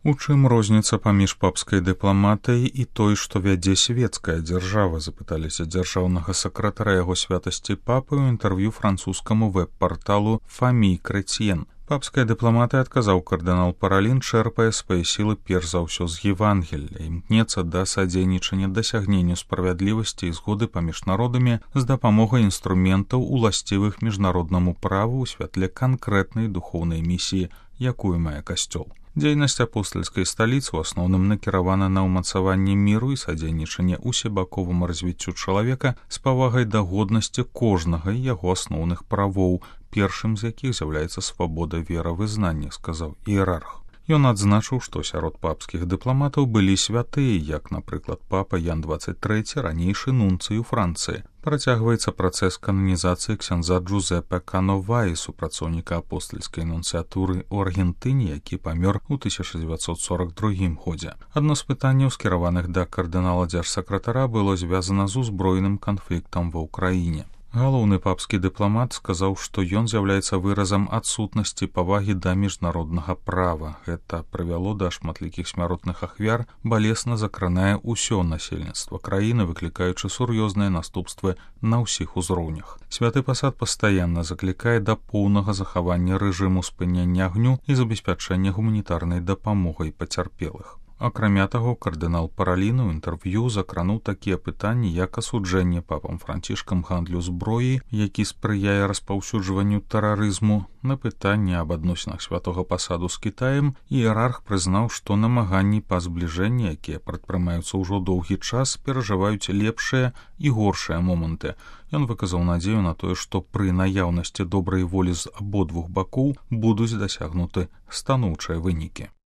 У чым розніца паміж папскай дыпламатыяй і той, што вядзе свецкая дзяржава, запыталіся дзяржаўнага сакратара яго святасці папы ў інтэрв'ю французскаму вэб-парталу «Фамі Крэцьен». Папская дыпламатыя, адказаў кардынал Паралін, чэрпае свае сілы перш за ўсё з Евангелля, імкнецца да садзейнічання дасягненню справядлівасці і згоды паміж народамі з дапамогай інструментаў, уласцівых міжнароднаму праву ў святле канкрэтнай духоўнай місіі, якую мае касцёл. Дзейнасць апостальскай сталіцы ў асноўным накіравана на ўмацаванне міру і садзейнічанне усебаковаму развіццю чалавека з павагай да годнасці кожнага і яго асноўных правоў, першым з якіх з'яўляецца свабода веравызнання, сказаў іерарх. Ён адзначыў, што сярод папскіх дыпламатаў былі святыя, як, напрыклад, папа Ян 23, ранейшы нунцый у Францыі. Працягваецца працэс кананізацыі ксяндза Джузеппе Кановаі, супрацоўніка апостальскай нунцыятуры ў Аргентыне, які памёр у 1942 годзе. Адно з пытанняў, скіраваных да кардынала дзяржсакратара, было звязана з узброеным канфліктам ва ўкраіне. Галоўны папскі дыпламат сказаў, што ён з'яўляецца выразам адсутнасці павагі да міжнароднага права. Гэта прывяло да шматлікіх смяротных ахвяр, балесна закранае ўсё насельніцтва краіны, выклікаючы сур'ёзныя наступствы на ўсіх узроўнях. Святы пасад пастаянна заклікае да поўнага захавання рэжыму спынення агню і забеспячэння гуманітарнай дапамогай пацярпелых. Акрамя таго, кардынал Паралін у інтэрв'ю закрануў такія пытанні, як асуджэнне папам Францішкам гандлю зброі, які спрыяе распаўсюджванню тэрарызму. На пытанне аб адносінах святога пасаду з Кітаем іерарх прызнаў, што намаганні па збліжэнні, якія прадпрымаюцца ўжо доўгі час, перажываюць лепшыя і горшыя моманты. Ён выказаў надзею на тое, што пры наяўнасці добрай волі з абодвух бакоў будуць дасягнуты станоўчыя вынікі.